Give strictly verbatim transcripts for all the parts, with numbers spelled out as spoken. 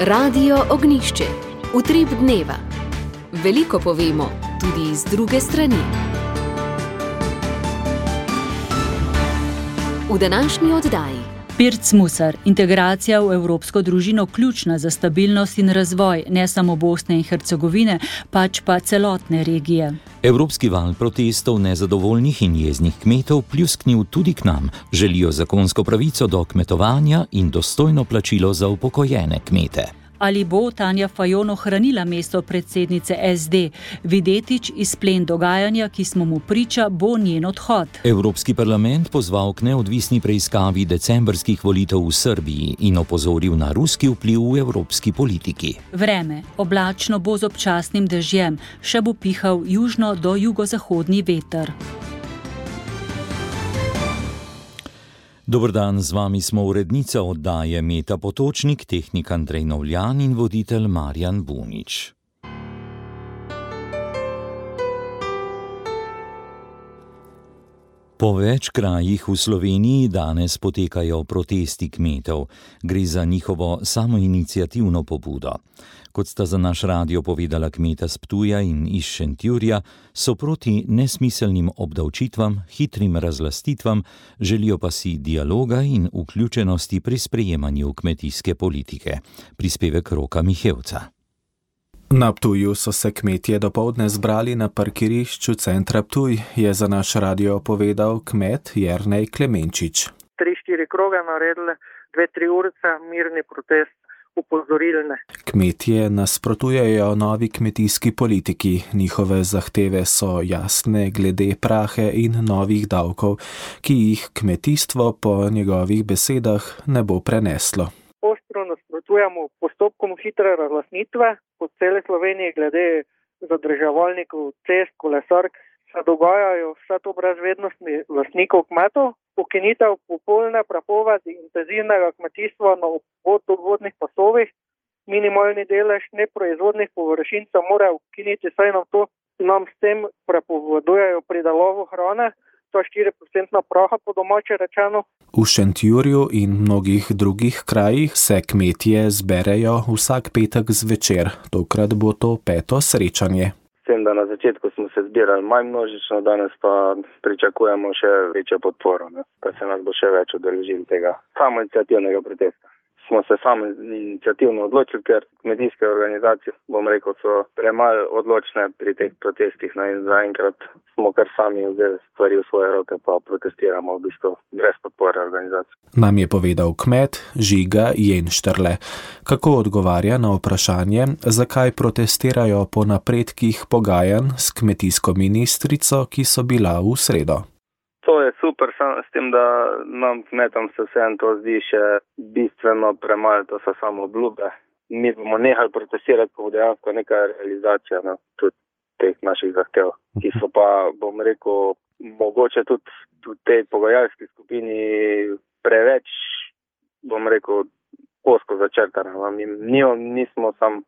Radio Ognjišče. Utrip dneva. Veliko povemo, tudi iz druge strani. V današnji oddaji. Pirc Musar, integracija v evropsko družino ključna za stabilnost in razvoj ne samo Bosne in Hercegovine, pač pa celotne regije. Evropski val protestov nezadovoljnih in jeznih kmetov pljusknil tudi k nam. Želijo zakonsko pravico do kmetovanja in dostojno plačilo za upokojene kmete. Ali bo Tanja Fajon ohranila mesto predsednice S D? Videtič izplen dogajanja, ki smo mu priča, bo njen odhod. Evropski parlament pozval k neodvisni preiskavi decembrskih volitev v Srbiji in opozoril na ruski vpliv v evropski politiki. Vreme. Oblačno bo z občasnim dežjem, še bo pihal južno do jugozahodni veter. Dober dan, z vami smo urednica oddaje Meta Potočnik, tehnik Andrej Novljan in voditelj Marjan Bunič. Po več krajih v Sloveniji danes potekajo protesti kmetov. Gre za njihovo samoiniciativno pobudo. Kot sta za naš radio povedala kmeta s Ptuja in iz Šentjurja, so proti nesmiselnim obdavčitvam, hitrim razlastitvam, želijo pa si dialoga in vključenosti pri sprejemanju kmetijske politike. Prispevek Roka Mihevca. Na Ptuju so se kmetje dopoldne zbrali na parkirišču centra Ptuj, je za naš radio povedal kmet Jernej Klemenčič. Tri, štiri kroge naredili, dve, tri urice, mirni protest, upozorilne. Kmetje nasprotujejo novi kmetijski politiki. Njihove zahteve so jasne glede prahe in novih davkov, ki jih kmetijstvo po njegovih besedah ne bo preneslo. Ostro nasprotujemo postopkom hitre razlastitve po celi Sloveniji glede zadrževalnikov, cest, kolesark. Se dogajajo vse to brez vednosti lastnikov kmetov, ukinitev popolne prepovedi intenzivnega kmetijstva na vodovodnih pasovih, minimalni delež neproizvodnih površin se mora ukiniti, saj nam to nam s tem prepovedujejo pridelavo hrane, to je štiri procente praha po domače rečeno. V Šentjurju in mnogih drugih krajih se kmetje zberejo vsak petek zvečer, tokrat bo to peto srečanje. Vem, da na začetku smo se zbirali manj množično, danes pa pričakujemo še večjo podporo, ne? Pa se nas bo še več udeležili tega samoiniciativnega protesta. Smo se samoiniciativno odločili, ker kmetijske organizacije, bom rekel, so premalo odločne pri teh protestih, no, in zaenkrat smo kar sami vzeli stvari v svoje roke, pa protestiramo v bistvu brez podpore organizacij. Nam je povedal kmet Žiga Jenštrle. Kako odgovarja na vprašanje, zakaj protestirajo po napredkih pogajanj s kmetijsko ministrico, ki so bila v sredo. To je super, s tem, da nam kmetom se vseeno to zdi še bistveno premalo, to so samo obljube. Mi bomo nehali protestirati, ko bo dejansko neka realizacija, no, tudi teh naših zahtev, ki so pa, bom rekel, mogoče tudi v tej pogajalski skupini preveč, bom rekel, ozko začrtane. Mi nismo sam,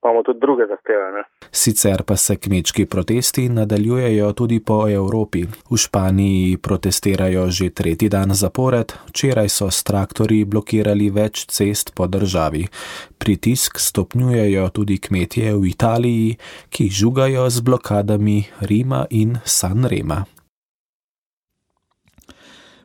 imamo tudi druge zahteve, ne. Sicer pa se kmečki protesti nadaljujejo tudi po Evropi. V Španiji protestirajo že tretji dan zapored, včeraj so s traktorji blokirali več cest po državi. Pritisk stopnjujejo tudi kmetje v Italiji, ki žugajo z blokadami Rima in Sanrema.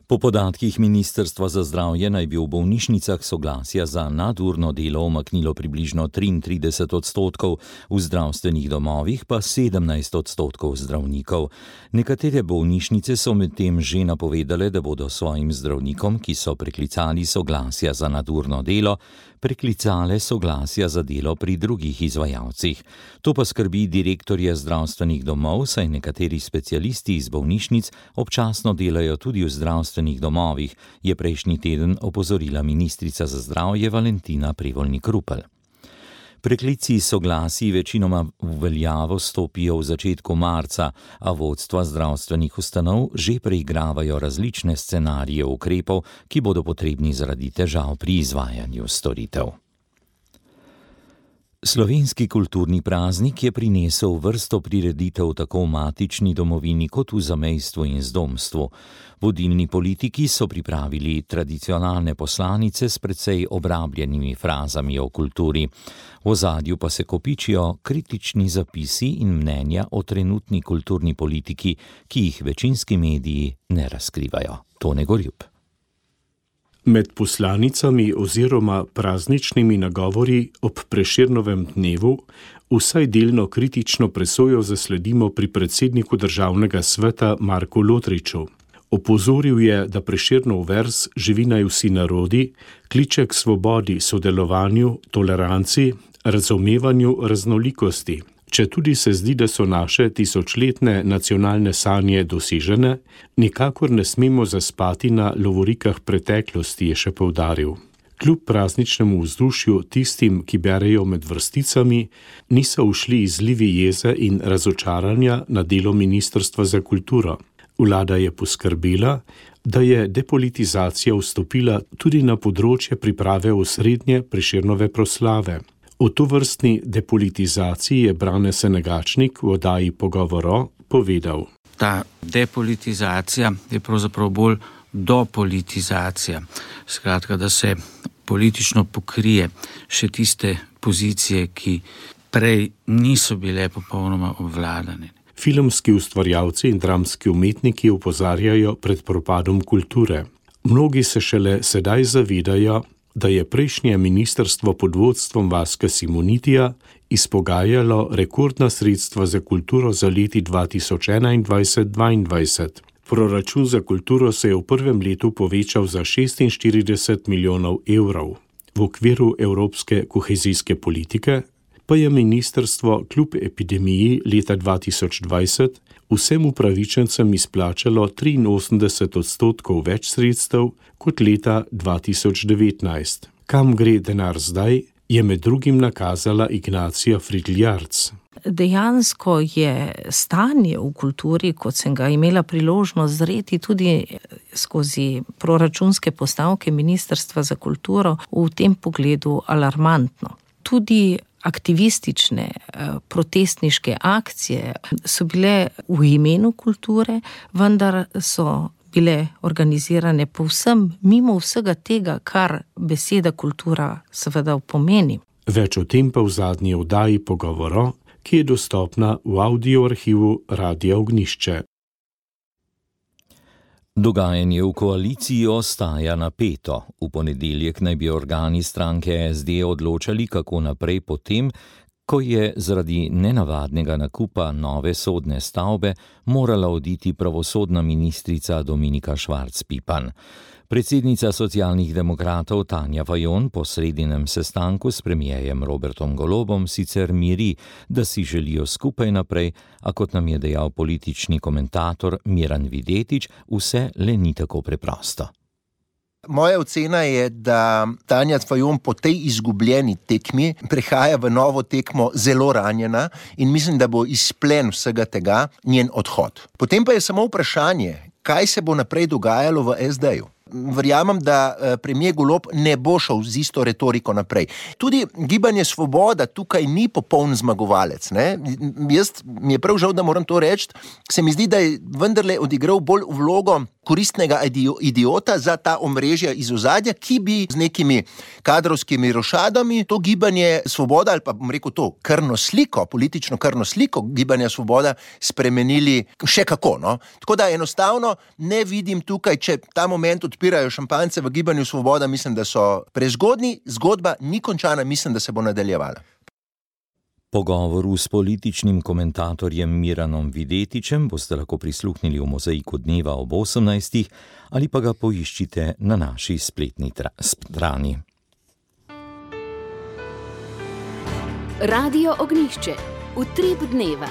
Po podatkih Ministrstva za zdravje naj bi v bolnišnicah soglasja za nadurno delo umaknilo približno triintrideset odstotkov, v zdravstvenih domovih pa sedemnajst odstotkov zdravnikov. Nekatere bolnišnice so medtem že napovedale, da bodo svojim zdravnikom, ki so preklicali soglasja za nadurno delo, preklicale soglasja za delo pri drugih izvajalcih. To pa skrbi direktorje zdravstvenih domov, saj nekateri specialisti iz bolnišnic občasno delajo tudi v zdravstvenih domovih, je prejšnji teden opozorila ministrica za zdravje Valentina Prevolnik-Rupel. Preklici soglasij večinoma v veljavo stopijo v začetku marca, a vodstva zdravstvenih ustanov že preigravajo različne scenarije ukrepov, ki bodo potrebni zaradi težav pri izvajanju storitev. Slovenski kulturni praznik je prinesel vrsto prireditev tako v matični domovini kot v zamejstvu in zdomstvu. Vodilni politiki so pripravili tradicionalne poslanice s precej obrabljenimi frazami o kulturi. V ozadju pa se kopičijo kritični zapisi in mnenja o trenutni kulturni politiki, ki jih večinski mediji ne razkrivajo. Tone Gorjup. Med poslanicami oziroma prazničnimi nagovori ob Prešernovem dnevu vsaj delno kritično presojo zasledimo pri predsedniku Državnega sveta Marku Lotriču. Opozoril je, da Prešernov verz Živi naj vsi narodi kliče k svobodi, sodelovanju, toleranci, razumevanju raznolikosti. Če tudi se zdi, da so naše tisočletne nacionalne sanje dosežene, nikakor ne smemo zaspati na lovorikah preteklosti, je še poudaril. Kljub prazničnemu vzdušju tistim, ki berejo med vrsticami, niso ušli izlivi jeze in razočaranja na delo Ministrstva za kulturo. Vlada je poskrbela, da je depolitizacija vstopila tudi na področje priprave osrednje Prešernove proslave. O tovrstni depolitizaciji je Brane Senegačnik v oddaji Pogovoro povedal. Ta depolitizacija je pravzaprav bolj dopolitizacija. Skratka, da se politično pokrije še tiste pozicije, ki prej niso bile popolnoma obvladane. Filmski ustvarjalci in dramski umetniki opozarjajo pred propadom kulture. Mnogi se šele sedaj zavedajo, da je prejšnje ministrstvo pod vodstvom Vaska Simonitija izpogajalo rekordna sredstva za kulturo za leti dva tisoč enaindvajset dvaindvajset. Proračun za kulturo se je v prvem letu povečal za šestinštirideset milijonov evrov. V okviru evropske kohezijske politike pa je ministrstvo kljub epidemiji leta dva tisoč dvajset vsem upravičencem izplačalo triinosemdeset odstotkov več sredstev kot leta dva tisoč devetnajst. Kam gre denar zdaj, je med drugim nakazala Ignacija Fridl-Jarc. Dejansko je stanje v kulturi, kot sem ga imela priložnost zreti tudi skozi proračunske postavke Ministrstva za kulturo, v tem pogledu alarmantno. Tudi aktivistične, protestniške akcije so bile v imenu kulture, vendar so bile organizirane povsem mimo vsega tega, kar beseda kultura seveda pomeni. Več o tem pa v zadnji oddaji Pogovoro, ki je dostopna v audio arhivu Radia Ognjišče. Dogajanje v koaliciji ostaja napeto. V ponedeljek naj bi organi stranke S D odločali, kako naprej potem, ko je zaradi nenavadnega nakupa nove sodne stavbe morala oditi pravosodna ministrica Dominika Švarc Pipan. Predsednica Socialnih demokratov Tanja Fajon po sredinem sestanku s premierjem Robertom Golobom sicer miri, da si želijo skupaj naprej, a kot nam je dejal politični komentator Miran Videtič, vse le ni tako preprosto. Moja ocena je, da Tanja Fajon po tej izgubljeni tekmi prehaja v novo tekmo zelo ranjena in mislim, da bo izplen vsega tega njen odhod. Potem pa je samo vprašanje, kaj se bo naprej dogajalo v S D-ju. Verjamem, da premier Golob ne bo šel z isto retoriko naprej. Tudi Gibanje Svoboda tukaj ni popoln zmagovalec. Ne? Jaz mi je prav žal, da moram to reči, se mi zdi, da je vendarle odigral bolj vlogo koristnega idiota za ta omrežja iz ozadja, ki bi z nekimi kadrovskimi rošadami to Gibanje Svoboda, ali pa bom rekel to krvno sliko, politično krvno sliko Gibanja Svoboda spremenili še kako. No? Tako da enostavno ne vidim tukaj, če ta moment odpirajo šampance v Gibanju Svoboda, mislim, da so prezgodni, zgodba ni končana, mislim, da se bo nadaljevala. Pogovoru s političnim komentatorjem Miranom Videtičem boste lahko prisluhnili v Mozaiku dneva ob osemnajstih ali pa ga poiščite na naši spletni strani. Radio Ognjišče, utrip dneva.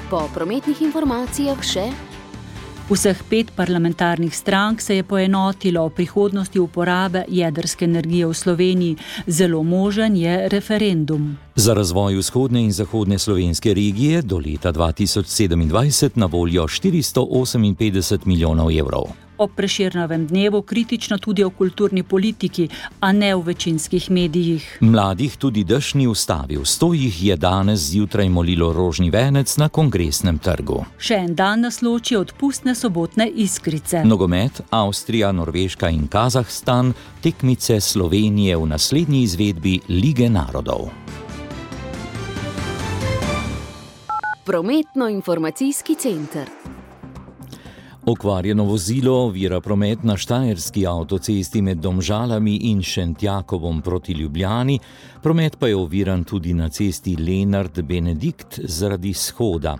Po prometnih informacijah še Vseh pet parlamentarnih strank se je poenotilo o prihodnosti uporabe jedrske energije v Sloveniji. Zelo možen je referendum. Za razvoj vzhodne in zahodne slovenske regije do leta dva tisoč sedemindvajset na voljo štiristo oseminpetdeset milijonov evrov. ob Prešernovem dnevu kritično tudi o kulturni politiki, a ne v večinskih medijih. Mladih tudi dež ni ustavil, sto jih je danes zjutraj molilo rožni venec na Kongresnem trgu. Še en dan nas loči od pustne sobotne iskrice. Nogomet, Avstrija, Norveška in Kazahstan, tekmice Slovenije v naslednji izvedbi Lige narodov. Prometno-informacijski center. Okvarjeno vozilo ovira promet na štajerski avtocesti med Domžalami in Šentjakovom proti Ljubljani, promet pa je oviran tudi na cesti Lenart-Benedikt zaradi shoda.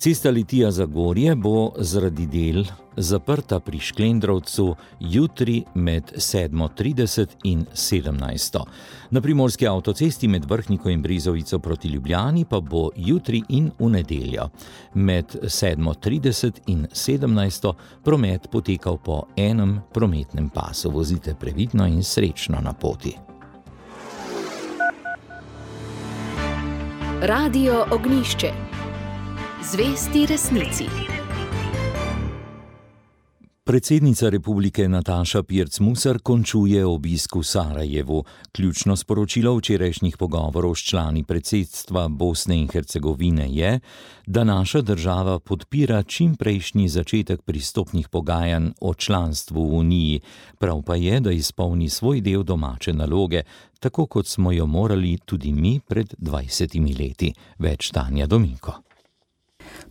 Cesta Litija-Zagorje bo zaradi del zaprta pri Šklendrovcu jutri med sedmo trideset in sedemnajsto. Na primorski avtocesti med Vrhniko in Brezovico proti Ljubljani pa bo jutri in v nedeljo. Med sedmo trideset in sedemnajsto promet potekal po enem prometnem pasu. Vozite previdno in srečno na poti. Radio Ognjišče. Zvesti resnici. Predsednica republike Nataša Pirc Musar končuje obisk v Sarajevu. Ključno sporočilo včerajšnjih pogovorov s člani predsedstva Bosne in Hercegovine je, da naša država podpira čimprejšnji začetek pristopnih pogajanj o članstvu v Uniji. Prav pa je, da izpolni svoj del domače naloge, tako kot smo jo morali tudi mi pred dvajsetimi leti. Več Tanja Dominko.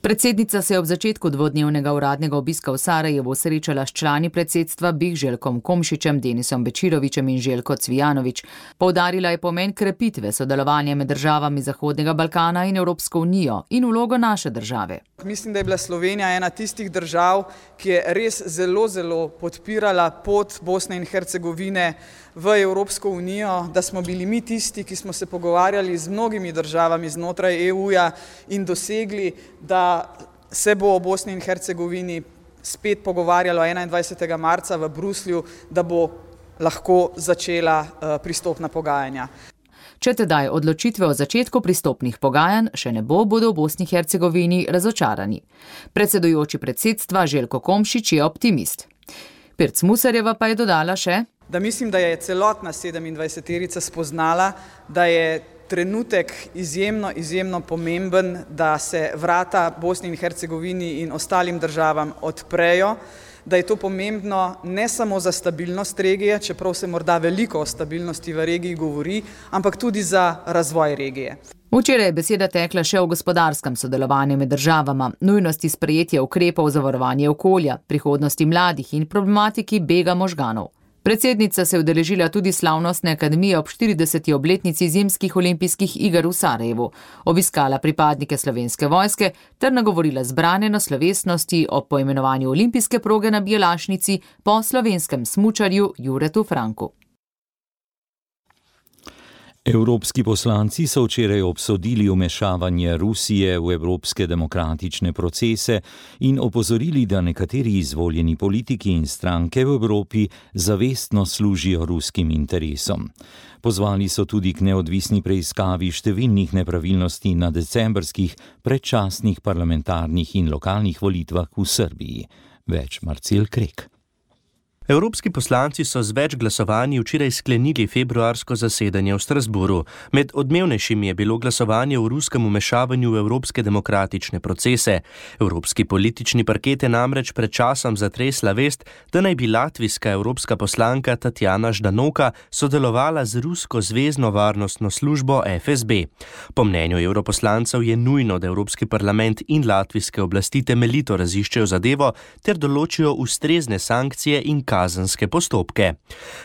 Predsednica se je ob začetku dvodnevnega uradnega obiska v Sarajevu srečala s člani predsedstva Bih Željkom Komšičem, Denisom Bečirovičem in Željko Cvijanović. Poudarila je pomen krepitve sodelovanja med državami Zahodnega Balkana in Evropsko unijo in vlogo naše države. Mislim, da je bila Slovenija ena tistih držav, ki je res zelo, zelo podpirala pot Bosne in Hercegovine v Evropsko unijo, da smo bili mi tisti, ki smo se pogovarjali z mnogimi državami znotraj E U-ja in dosegli, da se bo o Bosni in Hercegovini spet pogovarjalo enaindvajsetega marca v Bruslju, da bo lahko začela pristopna pogajanja. Če tedaj odločitve o začetku pristopnih pogajanj še ne bo, bodo v Bosni in Hercegovini razočarani. Predsedujoči predsedstva Željko Komšič je optimist. Pirc Musarjeva pa je dodala še, da mislim, da je celotna sedemindvajseterica spoznala, da je trenutek izjemno, izjemno pomemben, da se vrata Bosni in Hercegovini in ostalim državam odprejo, da je to pomembno ne samo za stabilnost regije, čeprav se morda veliko o stabilnosti v regiji govori, ampak tudi za razvoj regije. Včeraj je beseda tekla še o gospodarskem sodelovanju med državama, nujnosti sprejetja ukrepov za varovanje okolja, prihodnosti mladih in problematiki bega možganov. Predsednica se je udeležila tudi slavnostne akademije ob štirideseti obletnici zimskih olimpijskih iger v Sarajevu, obiskala pripadnike Slovenske vojske ter nagovorila zbrane na slovesnosti o poimenovanju olimpijske proge na Bjelašnici po slovenskem smučarju Juretu Franku. Evropski poslanci so včeraj obsodili vmešavanje Rusije v evropske demokratične procese in opozorili, da nekateri izvoljeni politiki in stranke v Evropi zavestno služijo ruskim interesom. Pozvali so tudi k neodvisni preiskavi številnih nepravilnosti na decembrskih predčasnih parlamentarnih in lokalnih volitvah v Srbiji. Več Marcel Krek. Evropski poslanci so z več glasovanji včeraj sklenili februarsko zasedanje v Strasburu. Med odmevnejšimi je bilo glasovanje o ruskem vmešavanju v evropske demokratične procese. Evropski politični parket je namreč pred časom zatresla vest, da naj bi latvijska evropska poslanka Tatjana Ždanoka sodelovala z rusko zvezno varnostno službo F S B. Po mnenju evroposlancev je nujno, da Evropski parlament in latvijske oblasti temeljito raziščejo zadevo ter določijo ustrezne sankcije in kazenske postopke.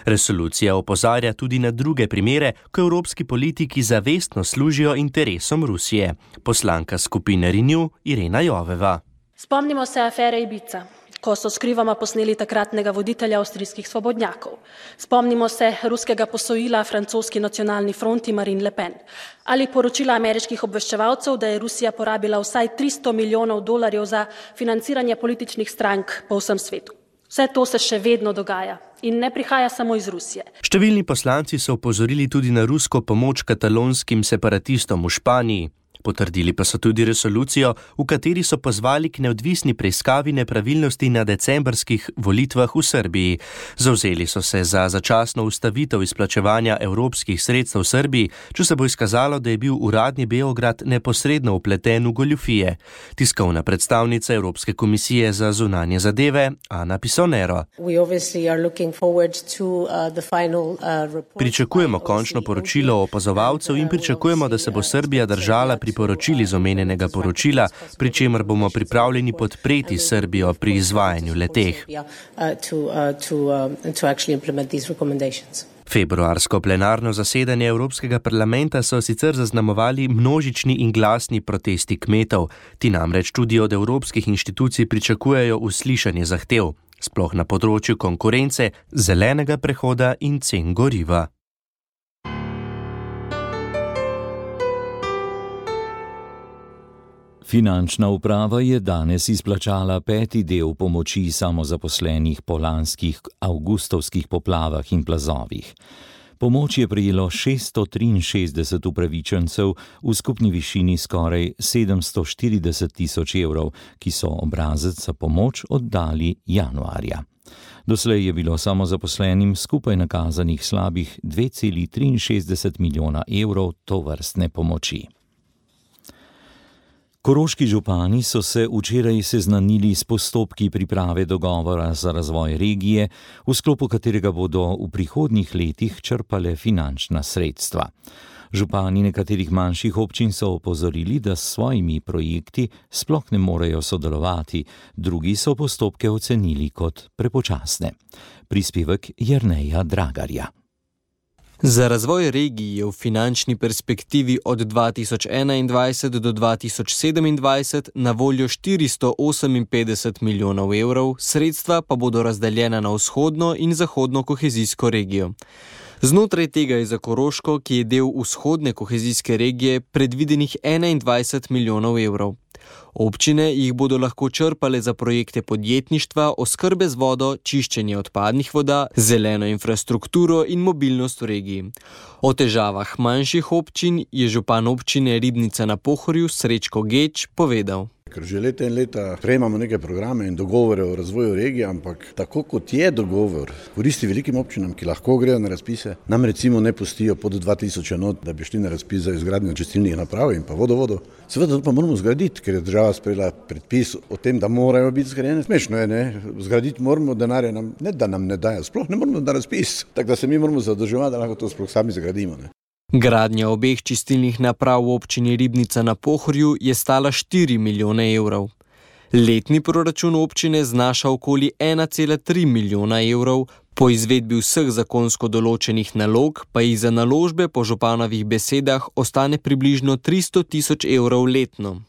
Resolucija opozarja tudi na druge primere, ko evropski politiki zavestno služijo interesom Rusije. Poslanka skupine Renew Irena Joveva. Spomnimo se afere Ibiza, ko so skrivoma posneli takratnega voditelja avstrijskih svobodnjakov. Spomnimo se ruskega posojila francoski nacionalni fronti Marine Le Pen ali poročila ameriških obveščevalcev, da je Rusija porabila vsaj tristo milijonov dolarjev za financiranje političnih strank po vsem svetu. Vse to se še vedno dogaja in ne prihaja samo iz Rusije. Številni poslanci so opozorili tudi na rusko pomoč katalonskim separatistom v Španiji. Potrdili pa so tudi resolucijo, v kateri so pozvali k neodvisni preiskavi nepravilnosti na decembrskih volitvah v Srbiji. Zavzeli so se za začasno ustavitev izplačevanja evropskih sredstev v Srbiji, če se bo izkazalo, da je bil uradni Beograd neposredno vpleten v goljufije. Tiskovna predstavnica Evropske komisije za zunanje zadeve, Ana Pisonero. Pričakujemo končno poročilo opazovalcev in pričakujemo, da se bo Srbija držala priporočil iz omenjenega poročila, pri čemer bomo pripravljeni podpreti Srbijo pri izvajanju leteh. Februarsko plenarno zasedanje Evropskega parlamenta so sicer zaznamovali množični in glasni protesti kmetov. Ti namreč tudi od evropskih inštitucij pričakujejo uslišanje zahtev, sploh na področju konkurence, zelenega prehoda in cen goriva. Finančna uprava je danes izplačala peti del pomoči samozaposlenih po lanskih avgustovskih poplavah in plazovih. Pomoč je prejelo šeststo triinšestdeset upravičencev v skupni višini skoraj sedemsto štirideset tisoč evrov, ki so obrazec za pomoč oddali januarja. Doslej je bilo samozaposlenim skupaj nakazanih slabih dve celi triinšestdeset milijona evrov tovrstne pomoči. Koroški župani so se včeraj seznanili s postopki priprave dogovora za razvoj regije, v sklopu katerega bodo v prihodnjih letih črpale finančna sredstva. Župani nekaterih manjših občin so opozorili, da s svojimi projekti sploh ne morejo sodelovati, drugi so postopke ocenili kot prepočasne. Prispevek Jerneja Dragarja. Za razvoj regij je v finančni perspektivi od dva tisoč enaindvajset do dva tisoč sedemindvajset na voljo štiristo oseminpetdeset milijonov evrov, sredstva pa bodo razdeljena na vzhodno in zahodno kohezijsko regijo. Znotraj tega je za Koroško, ki je del vzhodne kohezijske regije, predvidenih enaindvajset milijonov evrov. Občine jih bodo lahko črpale za projekte podjetništva, oskrbe z vodo, čiščenje odpadnih voda, zeleno infrastrukturo in mobilnost v regiji. O težavah manjših občin je župan občine Ribnica na Pohorju Srečko Geč povedal. Ker že leta in leta prejemamo neke programe in dogovore o razvoju regije, ampak tako kot je dogovor, koristi velikim občinam, ki lahko grejo na razpise, nam recimo ne pustijo pod dva tisoč enot, da bi šli na razpis za izgradnjo čistilnih naprav in pa vodovodo. Seveda to pa moramo zgraditi, ker je država sprejela predpis o tem, da morajo biti zgrajene. Smešno je, ne? Zgraditi moramo, denarja nam ne, da nam ne dajo, sploh ne moramo na razpis. Tako da se mi moramo zadrževati, da lahko to sploh sami zgradimo. Ne? Gradnja obeh čistilnih naprav v občini Ribnica na Pohorju je stala štiri milijone evrov. Letni proračun občine znaša okoli ena cela tri milijona evrov, po izvedbi vseh zakonsko določenih nalog pa jih za naložbe po županovih besedah ostane približno tristo tisoč evrov letno.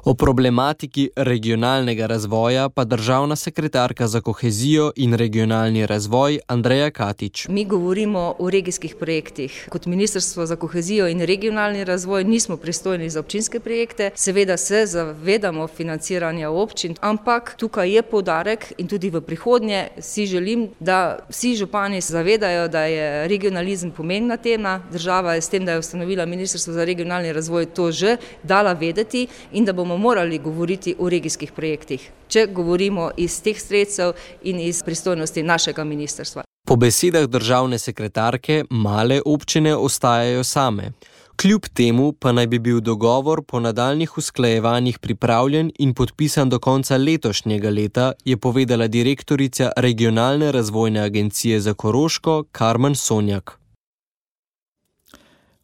O problematiki regionalnega razvoja pa državna sekretarka za kohezijo in regionalni razvoj Andreja Katič. Mi govorimo o regijskih projektih. Kot Ministrstvo za kohezijo in regionalni razvoj nismo pristojni za občinske projekte. Seveda se zavedamo financiranja občin, ampak tukaj je poudarek in tudi v prihodnje si želim, da vsi župani se zavedajo, da je regionalizem pomembna tema. Država je s tem, da je ustanovila Ministrstvo za regionalni razvoj, to že dala vedeti in da bomo morali govoriti o regijskih projektih, če govorimo iz teh sredstev in iz pristojnosti našega ministrstva. Po besedah državne sekretarke male občine ostajajo same. Kljub temu pa naj bi bil dogovor po nadaljnjih usklajevanjih pripravljen in podpisan do konca letošnjega leta, je povedala direktorica Regionalne razvojne agencije za Koroško Karmen Sonjak.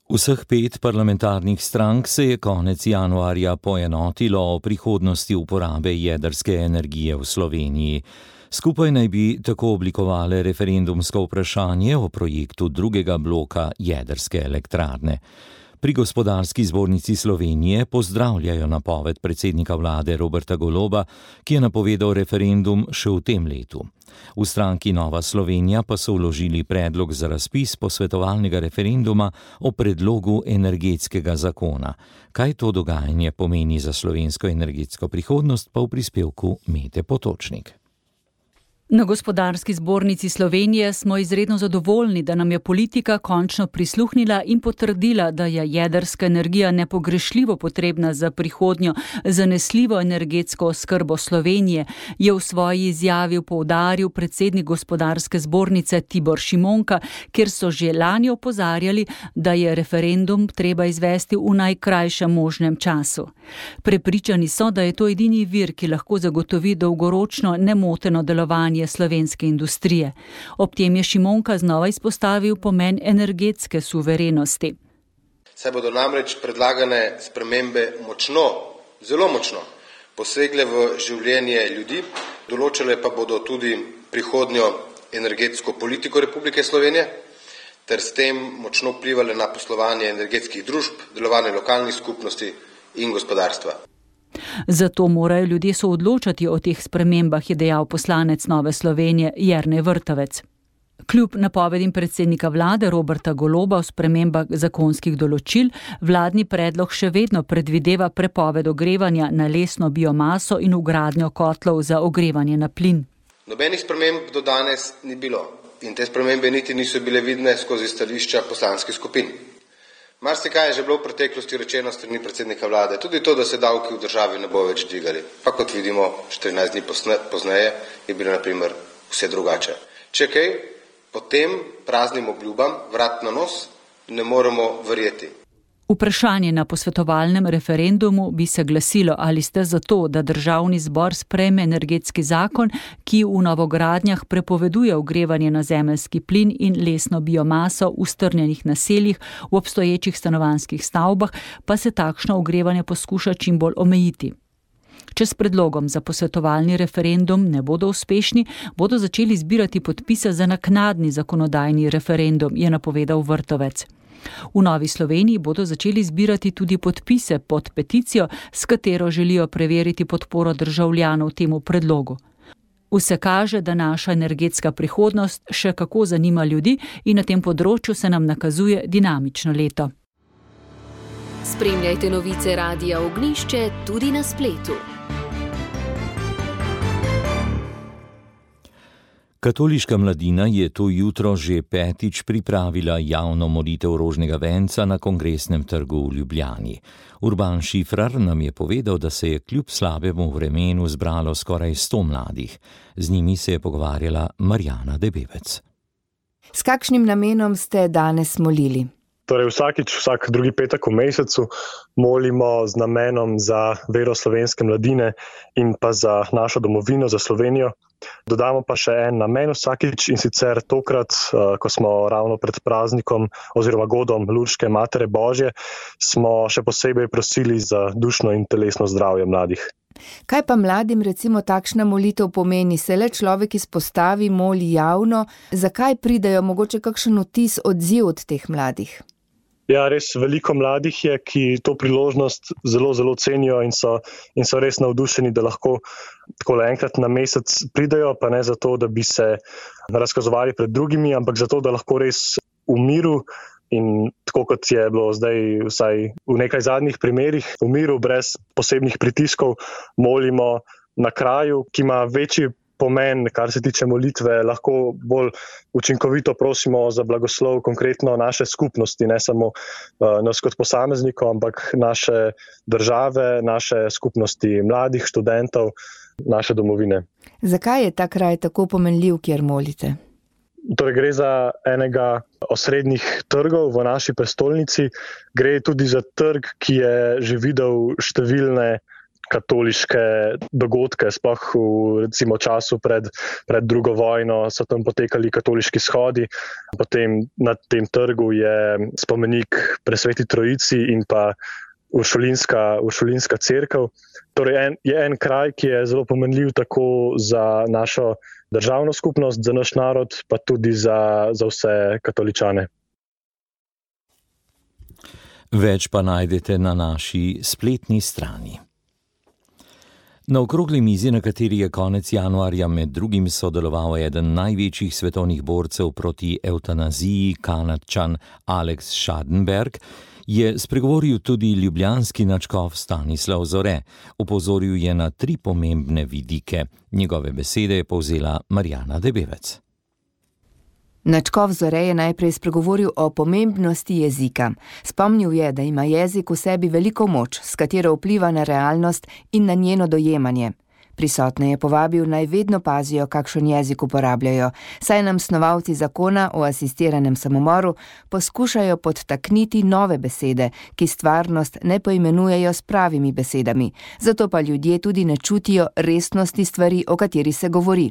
Vseh pet parlamentarnih strank se je konec januarja poenotilo o prihodnosti uporabe jedrske energije v Sloveniji. Skupaj naj bi tako oblikovale referendumsko vprašanje o projektu drugega bloka jedrske elektrarne. Pri Gospodarski zbornici Slovenije pozdravljajo napoved predsednika vlade Roberta Goloba, ki je napovedal referendum še v tem letu. V stranki Nova Slovenija pa so vložili predlog za razpis posvetovalnega referenduma o predlogu energetskega zakona. Kaj to dogajanje pomeni za slovensko energetsko prihodnost, pa v prispevku Mete Potočnik. Na Gospodarski zbornici Slovenije smo izredno zadovoljni, da nam je politika končno prisluhnila in potrdila, da je jedrska energija nepogrešljivo potrebna za prihodnjo zanesljivo energetsko oskrbo Slovenije, je v svoji izjavi poudaril predsednik Gospodarske zbornice Tibor Šimonka, kjer so že lani opozarjali, da je referendum treba izvesti v najkrajšem možnem času. Prepričani so, da je to edini vir, ki lahko zagotovi dolgoročno nemoteno delovanje slovenske industrije. Ob tem je Šimonka znova izpostavil pomen energetske suverenosti. Saj bodo namreč predlagane spremembe močno, zelo močno posegle v življenje ljudi, določile pa bodo tudi prihodnjo energetsko politiko Republike Slovenije, ter s tem močno vplivale na poslovanje energetskih družb, delovanje lokalnih skupnosti in gospodarstva. Zato morajo ljudje soodločati o teh spremembah, je dejal poslanec Nove Slovenije Jernej Vrtovec. Kljub napovedim predsednika vlade Roberta Goloba o spremembah zakonskih določil, vladni predlog še vedno predvideva prepoved ogrevanja na lesno biomaso in vgradnjo kotlov za ogrevanje na plin. Nobenih sprememb do danes ni bilo in te spremembe niti niso bile vidne skozi stališča poslanskih skupin. Marsikaj je že bilo v preteklosti rečeno strani predsednika vlade, tudi to, da se davki v državi ne bo več dvigali. Pa kot vidimo, štirinajst dni pozneje je bilo na primer vse drugače. Če kaj, potem praznim obljubam vrat na nos ne moremo verjeti. Vprašanje na posvetovalnem referendumu bi se glasilo, ali ste za to, da državni zbor sprejme energetski zakon, ki v novogradnjah prepoveduje ogrevanje na zemeljski plin in lesno biomaso v strnjenih naseljih, v obstoječih stanovanjskih stavbah, pa se takšno ogrevanje poskuša čim bolj omejiti. Če s predlogom za posvetovalni referendum ne bodo uspešni, bodo začeli zbirati podpise za naknadni zakonodajni referendum, je napovedal Vrtovec. V Novi Sloveniji bodo začeli zbirati tudi podpise pod peticijo, s katero želijo preveriti podporo državljanov temu predlogu. Vse kaže, da naša energetska prihodnost še kako zanima ljudi in na tem področju se nam nakazuje dinamično leto. Spremljajte novice Radia Ognjišče tudi na spletu. Katoliška mladina je to jutro že petič pripravila javno molitev rožnega venca na Kongresnem trgu v Ljubljani. Urban Šifrar nam je povedal, da se je kljub slabemu vremenu zbralo skoraj sto mladih. Z njimi se je pogovarjala Marjana Debevec. S kakšnim namenom ste danes molili? Torej vsakič, vsak drugi petek v mesecu molimo z namenom za vero slovenske mladine in pa za našo domovino, za Slovenijo. Dodamo pa še en namen vsakič in sicer tokrat, ko smo ravno pred praznikom oziroma godom Lurške Matere Božje, smo še posebej prosili za dušno in telesno zdravje mladih. Kaj pa mladim recimo takšna molitev pomeni? Se le človek izpostavi, moli javno, zakaj pridejo, mogoče kakšen vtis, odziv od teh mladih? Ja, res veliko mladih je, ki to priložnost zelo, zelo cenijo in so, in so res navdušeni, da lahko takole enkrat na mesec pridejo, pa ne zato, da bi se razkazovali pred drugimi, ampak zato, da lahko res v miru in tako kot je bilo zdaj vsaj v nekaj zadnjih primerih, v miru brez posebnih pritiskov molimo na kraju, ki ima večji pomen, kar se tiče molitve, lahko bolj učinkovito prosimo za blagoslov konkretno naše skupnosti, ne samo uh, nas kot posameznikov, ampak naše države, naše skupnosti mladih, študentov, naše domovine. Zakaj je ta kraj tako pomenljiv, kjer molite? Torej gre za enega osrednjih trgov v naši prestolnici, gre tudi za trg, ki je že videl številne katoliške dogodke, sploh v recimo času pred, pred drugo vojno so tam potekali katoliški shodi. Potem na tem trgu je spomenik Presveti Trojici in pa Uršulinska, Uršulinska cerkev. Torej en, je en kraj, ki je zelo pomenljiv tako za našo državno skupnost, za naš narod, pa tudi za, za vse katoličane. Več pa najdete na naši spletni strani. Na okrogli mizi, na kateri je konec januarja med drugim sodeloval eden največjih svetovnih borcev proti evtanaziji, Kanadčan Alex Schadenberg, je spregovoril tudi ljubljanski nadškof Stanislav Zore. Opozoril je na tri pomembne vidike. Njegove besede je povzela Marjana Debevec. Nadškof Zore je najprej spregovoril o pomembnosti jezika. Spomnil je, da ima jezik v sebi veliko moč, s katero vpliva na realnost in na njeno dojemanje. Prisotne je povabil, naj vedno pazijo, kakšen jezik uporabljajo, saj nam snovalci zakona o asistiranem samomoru poskušajo podtakniti nove besede, ki stvarnost ne poimenujejo s pravimi besedami, zato pa ljudje tudi ne čutijo resnosti stvari, o kateri se govori.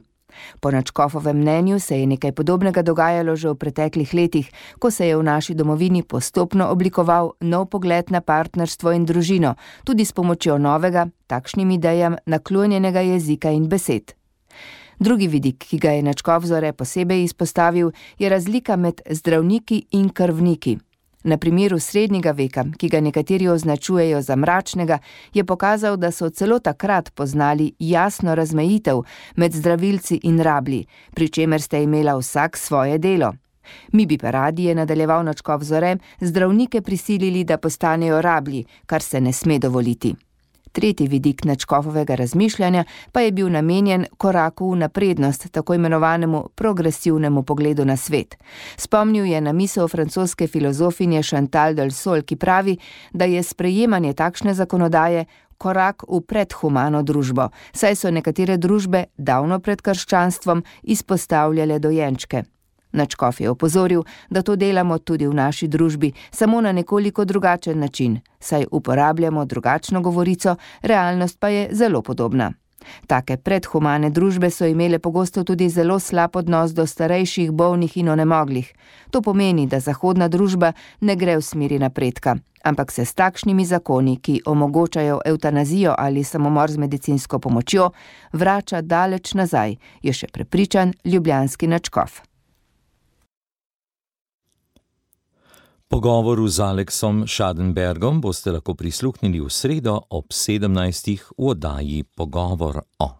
Po nadškofovem mnenju se je nekaj podobnega dogajalo že v preteklih letih, ko se je v naši domovini postopno oblikoval nov pogled na partnerstvo in družino, tudi s pomočjo novega, takšnim idejam naklonjenega jezika in besed. Drugi vidik, ki ga je nadškof Zore posebej izpostavil, je razlika med zdravniki in krvniki. Na primeru srednjega veka, ki ga nekateri označujejo za mračnega, je pokazal, da so celo takrat poznali jasno razmejitev med zdravilci in rablji, pri čemer sta imela vsak svoje delo. Mi bi pa radi, je nadaljeval nadškof Zore, zdravnike prisilili, da postanejo rablji, kar se ne sme dovoliti. Tretji vidik nadškofovega razmišljanja pa je bil namenjen koraku v naprednost, tako imenovanemu progresivnemu pogledu na svet. Spomnil je na misel francoske filozofinje Chantal Delsol, ki pravi, da je sprejemanje takšne zakonodaje korak v predhumano družbo, saj so nekatere družbe davno pred krščanstvom izpostavljale dojenčke. Nadškof je opozoril, da to delamo tudi v naši družbi, samo na nekoliko drugačen način, saj uporabljamo drugačno govorico, realnost pa je zelo podobna. Take predhumane družbe so imele pogosto tudi zelo slab odnos do starejših, bolnih in onemoglih. To pomeni, da zahodna družba ne gre v smeri napredka, ampak se s takšnimi zakoni, ki omogočajo evtanazijo ali samomor z medicinsko pomočjo, vrača daleč nazaj, je še prepričan ljubljanski nadškof. Pogovoru z Aleksom Schadenbergom boste lahko prisluhnili v sredo ob sedemnajstih v oddaji Pogovor o.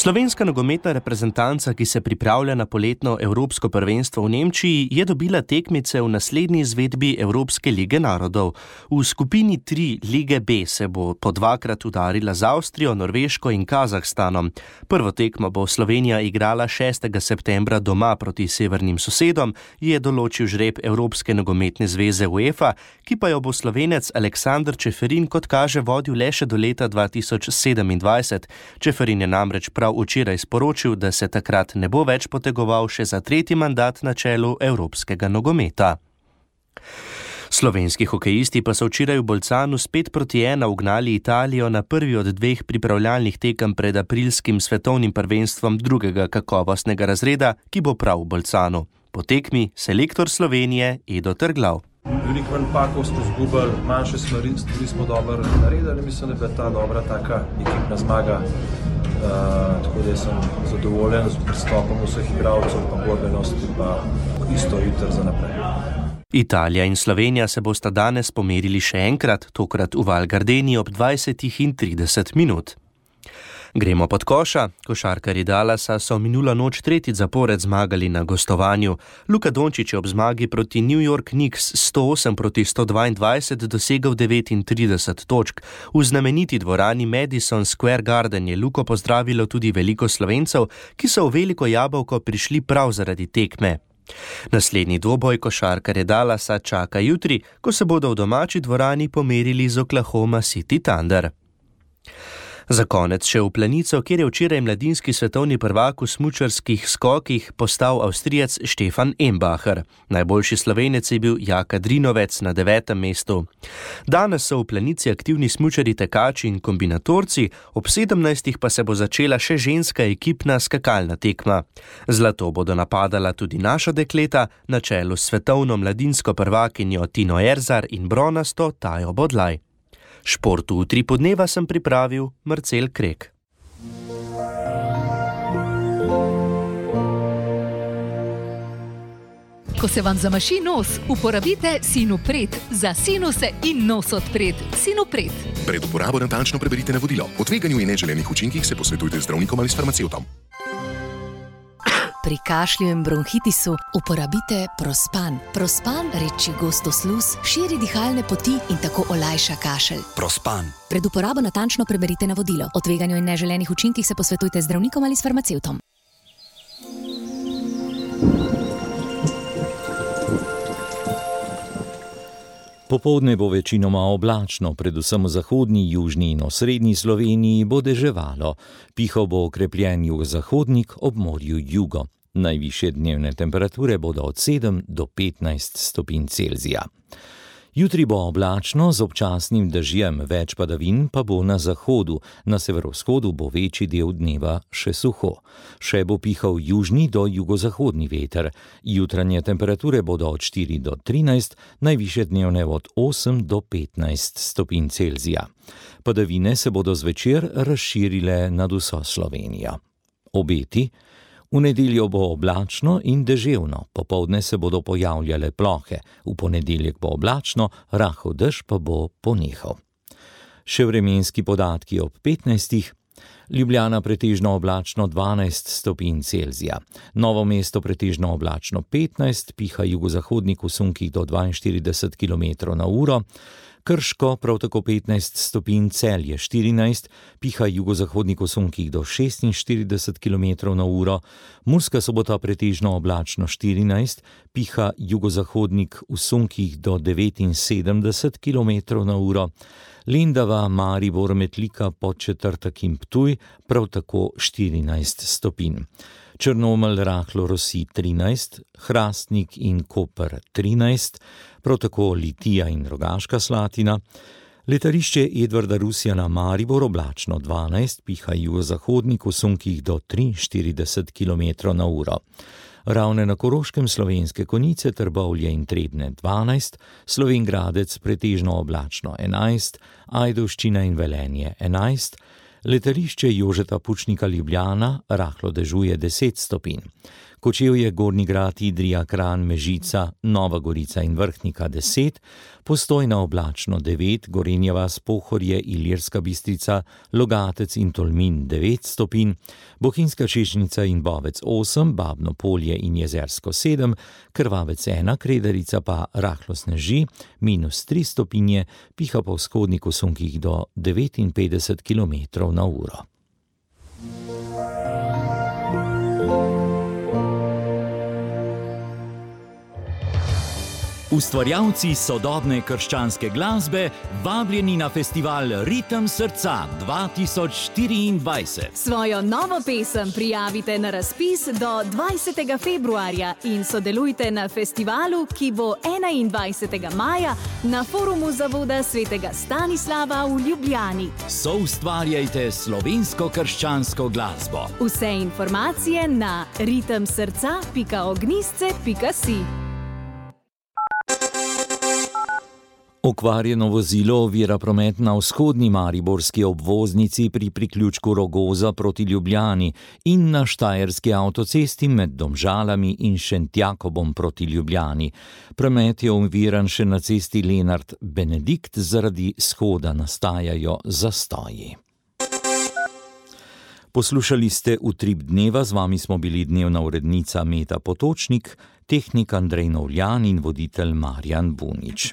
Slovenska nogometna reprezentanca, ki se pripravlja na poletno evropsko prvenstvo v Nemčiji, je dobila tekmice v naslednji izvedbi Evropske lige narodov. V skupini tri lige B se bo po dvakrat udarila z Avstrijo, Norveško in Kazahstanom. Prvo tekmo bo Slovenija igrala šestega septembra doma proti severnim sosedom, je določil žreb Evropske nogometne zveze UEFA, ki pa jo bo Slovenec Aleksander Čeferin kot kaže vodil le še do leta dva tisoč sedemindvajset. Čeferin je namreč prav včeraj sporočil, da se takrat ne bo več potegoval še za tretji mandat na čelu evropskega nogometa. Slovenski hokejisti pa so včeraj v Bolcanu spet proti ena ugnali Italijo na prvi od dveh pripravljalnih tekem pred aprilskim svetovnim prvenstvom drugega kakovostnega razreda, ki bo prav v Bolcanu. Po tekmi selektor Slovenije Edo Trglav. Veliko napakov smo zgubili, manjše stvari smo dobro naredili, mislim, da je bila ta dobra taka ekipna zmaga. Uh, tako da sem zadovoljen z pristopom vseh igralcev, pa borbenosti, pa isto jutr za naprej. Italija in Slovenija se bosta danes pomerili še enkrat, tokrat v Val Gardeni ob dvajsetih in trideset minut. Gremo pod koša. Košarkarji Dallasa so minulo noč tretjič zapored zmagali na gostovanju. Luka Dončić je ob zmagi proti New York Knicks sto osem proti sto dvaindvajset dosegel devetintrideset točk. V znameniti dvorani Madison Square Garden je Luko pozdravilo tudi veliko Slovencev, ki so v Veliko Jabolko prišli prav zaradi tekme. Naslednji dvoboj košarkarje Dallasa čaka jutri, ko se bodo v domači dvorani pomerili z Oklahoma City Thunder. Za konec še v Planico, kjer je včeraj mladinski svetovni prvak v smučarskih skokih postal Avstrijec Stefan Embacher. Najboljši Slovenec je bil Jaka Drinovec na devetem mestu. Danes so v Planici aktivni smučari tekači in kombinatorci, ob sedemnajstih pa se bo začela še ženska ekipna skakalna tekma. Zlato bodo napadala tudi naša dekleta, na čelu s svetovno mladinsko prvakinjo Tino Erzar in bronasto Tajo Bodlaj. Športu v tri podneva sem pripravil Marcel Krek. Ko se vam zamaši nos, uporabite Sinopret za sinuse in nos odpret. Sinopret. Pred uporabo natančno preberite navodilo. O tveganju in neželenih učinkih se posvetujte z zdravnikom ali s farmacevtom. Pri kašlju in bronhitisu uporabite Prospan. Prospan reči gosto sluz, širi dihalne poti in tako olajša kašelj. Prospan. Pred uporabo natančno preberite navodilo. O tveganju in neželenih učinkih se posvetujte z zdravnikom ali s farmacevtom. Popoldne bo večinoma oblačno, predvsem v zahodni, južni in osrednji Sloveniji bo deževalo. Pihal bo okrepljen jugozahodnik, ob morju jugo. Najvišje dnevne temperature bodo od sedem do petnajst stopinj Celzija. Jutri bo oblačno z občasnim dežjem, več padavin pa bo na zahodu, na severovzhodu bo večji del dneva še suho. Še bo pihal južni do jugozahodni veter. Jutranje temperature bodo od štiri do trinajst, najvišje dnevne od osem do petnajst stopinj Celzija. Padavine se bodo zvečer razširile nad vso Slovenijo. Obeti: v nedeljo bo oblačno in deževno, popoldne se bodo pojavljale plohe, v ponedeljek bo oblačno, rahel dež pa bo ponehal. Še vremenski podatki ob petnajstih. Ljubljana pretežno oblačno dvanajst stopinj Celzija, Novo mesto pretežno oblačno petnajst, piha jugozahodnik v sunkih do dvainštirideset kilometrov na uro, Krško prav tako petnajst stopinj, Celje štirinajst, piha jugozahodnik v sunkih do šestinštirideset kilometrov na uro, Murska Sobota pretežno oblačno štirinajst, piha jugozahodnik v sunkih do devetinsedemdeset kilometrov na uro, Lendava, Maribor, Metlika, Podčetrtek in Ptuj prav tako štirinajst stopinj. Črnomelj, rahlo rosi trinajst, Hrastnik in Koper trinajst, prav tako Litija in Rogaška Slatina, letališče Edvarda Rusjana Maribor oblačno dvanajst, piha jugozahodnik v sunkih do triinštirideset kilometrov na uro. Ravne na Koroškem, Slovenske Konjice, Trbovlje in Trebnje dvanajst, Slovenj Gradec pretežno oblačno enajst, Ajdovščina in Velenje enajst, letališče Jožeta Pučnika Ljubljana rahlo dežuje deset stopinj. Kočevje, Gornji Grad, Idrija, Kranj, Mežica, Nova Gorica in Vrhnika deset, Postojna oblačno devet, Gorenja vas, Pohorje, Ilirska Bistrica, Logatec in Tolmin devet stopinj, Bohinjska Češnica in Bovec osem, Babno Polje in Jezersko sedem, Krvavec ena, Kredarica pa rahlo sneži, minus tri stopinje, piha po vzhodniku sunkih do devetinpetdeset kilometrov na uro. Ustvarjalci sodobne krščanske glasbe vabljeni na festival Ritem srca dva tisoč štiriindvajset. Svojo novo pesem prijavite na razpis do dvajsetega februarja in sodelujte na festivalu, ki bo enaindvajsetega maja na forumu Zavoda svetega Stanislava v Ljubljani. Soustvarjajte slovensko krščansko glasbo. Vse informacije na ritem srca pika ognjisce pika si. Okvarjeno vozilo ovira promet na vzhodni mariborski obvoznici pri priključku Rogoza proti Ljubljani in na štajerski avtocesti med Domžalami in Šentjakobom proti Ljubljani. Promet je oviran še na cesti Lenart Benedikt, zaradi shoda nastajajo zastoji. Poslušali ste Utrip dneva, z vami smo bili dnevna urednica Meta Potočnik, tehnik Andrej Novljan in voditelj Marjan Bunič.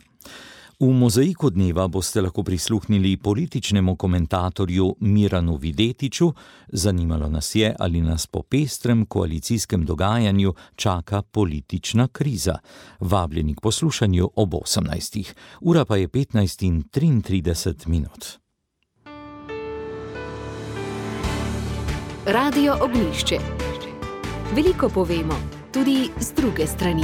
V mozaiku dneva boste lahko prisluhnili političnemu komentatorju Miranu Videtiču. Zanimalo nas je, ali nas po pestrem koalicijskem dogajanju čaka politična kriza. Vabljeni k poslušanju ob osemnajstih. Ura pa je petnajst in triintrideset minut. Radio Ognjišče. Veliko povemo, tudi z druge strani.